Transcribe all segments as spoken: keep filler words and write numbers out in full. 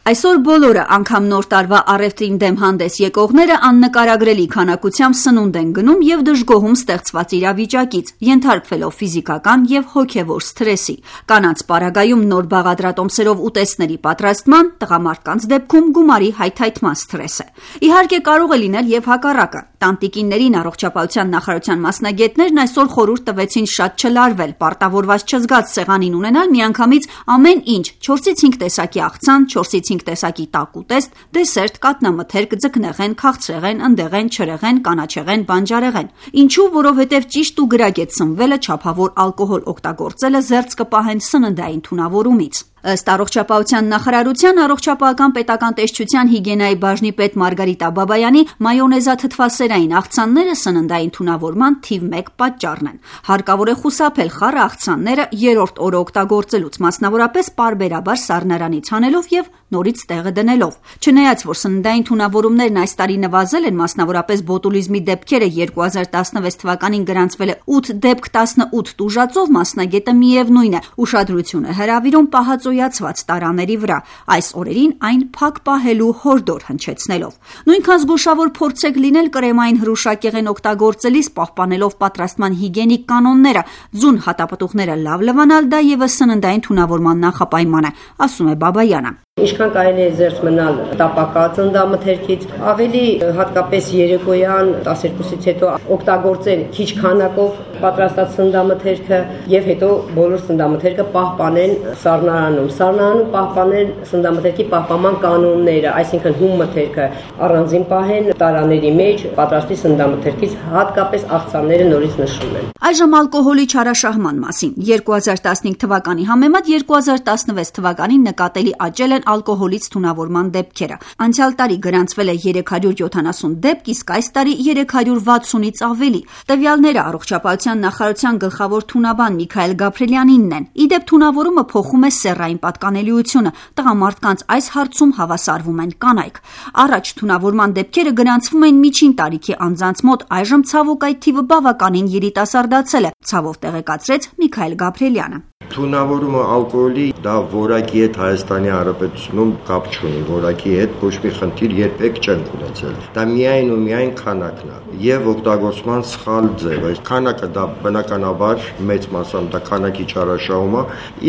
Այսօր բոլորը, անգամ նոր տարվա առևտրին դեմ հանդես եկողները աննկարագրելի քանակությամբ սնունդ են գնում եւ դժգոհում ստեղծված իրավիճակից, ենթարկվելով ֆիզիկական եւ հոգեվոր սթրեսի։ Կանանց պարագայում նոր բաղադրատոմսերով ուտեստների պատրաստման, տղամարդկանց դեպքում գումարի հայթայթման սթրես է։ Իհարկե կարող է լինել եւ հակառակը։ Տանտիկիներին առողջապահության նախարարության մասնագետներն այսօր խորհուրդ տվեցին շատ չլարվել, պարտավորված չզգաց սեղանին ունենալ միանգամից ամեն ինչ՝ չորսից հինգ տեսակի աղցան, չորսից հինգ տեսակի տաք ուտեստ, դեսերտ, կատնամթերք, ձկնեղեն, քաղցրեղեն, ընդեղեն, չրեղեն, կանաչեղեն, բանջարեղեն։ Ինչու՞, որովհետև ճիշտ ու գրագետ սնվելը, չափավոր ալկոհոլ օգտագործելը զերծ կպահեն սննդային թունավորումից։ Ըստ առողջապահության նախարարության առողջապահական պետական տեսչության հիգիենայի բաժնի պետ Մարգարիտա Բաբայանի, մայոնեզաթթվասերային աղցանները սննդային թունավորման թիվ մեկ պատճառն են։ Հարկավոր է խուսափել խառը աղցանները երրորդ օրը օգտագործելուց, մասնավորապես պարբերաբար սառնարանից հանելով եւ նորից տեղը դնելով։ Չնայած որ սննդային թունավորումներն այս տարի նվազել են, մասնավորապես բոտուլիզմի դեպքերը երկու հազար տասնվեց թվականին գրանցվել է ութ դեպք տասնութ տուժածով, մասնագետը միևնույն է ուշադրություն է հրավիրում պահածոյացված տարաների վրա, այս օրերին այն փակ պահելու հորդոր հնչեցնելով։ Նույնքան զգուշավոր փորձեք լինել կրեմային հրուշակեղեն օգտագործելիս, պահպանելով պատրաստման հիգիենիկ կանոնները, ձուն հատապտուղները լավ լվանալ, դա եւս սննդային թունավորման նախապայման է, ասում է Բաբայանը։ Ինչքան կարելի է զերծ մնալ տապակած սննդամթերքից, ավելի հատկապես երեկոյան տասներկուսից հետո օգտագործել քիչ քանակով պատրաստած սննդամթերքը եւ հետո բոլոր սննդամթերքը պահպանեն սառնարանում։ Սառնարանում պահպանեն սննդամթերքի պահպանման կանոնները, այսինքն հում մթերքը առանձին պահեն տարաների մեջ, պատրաստի սննդամթերքից հատկապես աղցանները նորից նշում են։ Այժմ ալկոհոլի չարաշահման մասին։ երկու հազար տասնհինգ թվականի համեմատ երկու հազար տասնվեց թվականին նկատելի աճել են ալկոհոլից թունավորման դեպքերը։ Անցյալ տարի գրանցվել է երեք հարյուր յոթանասուն դեպք, իսկ այս տարի երեք հարյուր վաթսունից ավելի։ Տվյալները առողջապահության նախարարության գլխավոր թունաբան Միքայել Գաբրելյանինն են։ Իդեպ թունավորումը փոխում է սեռային պատկանելիությունը։ Տղամարդկանց այս հարցում հավասարվում են կանայք։ Առաջ թունավորման դեպքերը գրանցվում էին միջին տարիքի անձանց մոտ, այժմ ցավոք այդ թիվը բավականին երիտասարդացել է, ցավով տեղեկացրեց Միքայել Գաբրելյանը։ Թունավորումը ալկոհոլի դա որակի հետ Հայաստանի Հանրապետությունում կապ չունի, որակի հետ ոչ մի խնդիր երբեք չենք ունեցել։ Դա միայն ու միայն քանակն է եւ օգտագործման սխալ ձև։ Այս քանակը դա բնականաբար մեծ մասամբ դա քանակի չարաշահում է,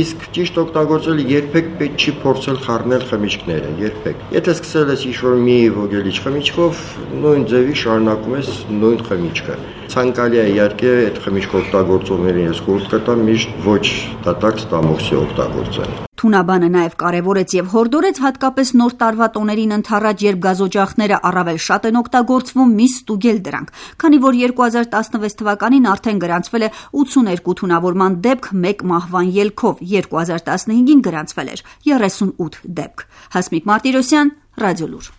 իսկ ճիշտ օգտագործելը երբեք պետք չի փորձել խառնել խմիչքները, երբեք։ Եթե սկսել ես ինչ-որ մի ոգելիչ խմիչքով, նույն ձևի շարունակում ես նույն խմիչքը։ Ցանկալի է իհարկե այդ խմիչք օգտագործողներին ես խորհուրդ կտամ միշտ ոչ դատարկ ստամոքսի օգտագործել։ Թունաբանը նաև կարևորեց եւ հորդորեց հատկապես նոր տարվա տոներին ընթառաջ, երբ գազօջախները առավել շատ են օգտագործվում, մի ստուգել դրանք, քանի որ երկու հազար տասնվեց թվականին արդեն գրանցվել է ութսուններկու թունավորման դեպք մեկ մահվան ելքով, երկու հազար տասնհինգին գրանցվել էր երեսունութ դեպք։ Հասմիկ Մարտիրոսյան, Ռադիոլուր։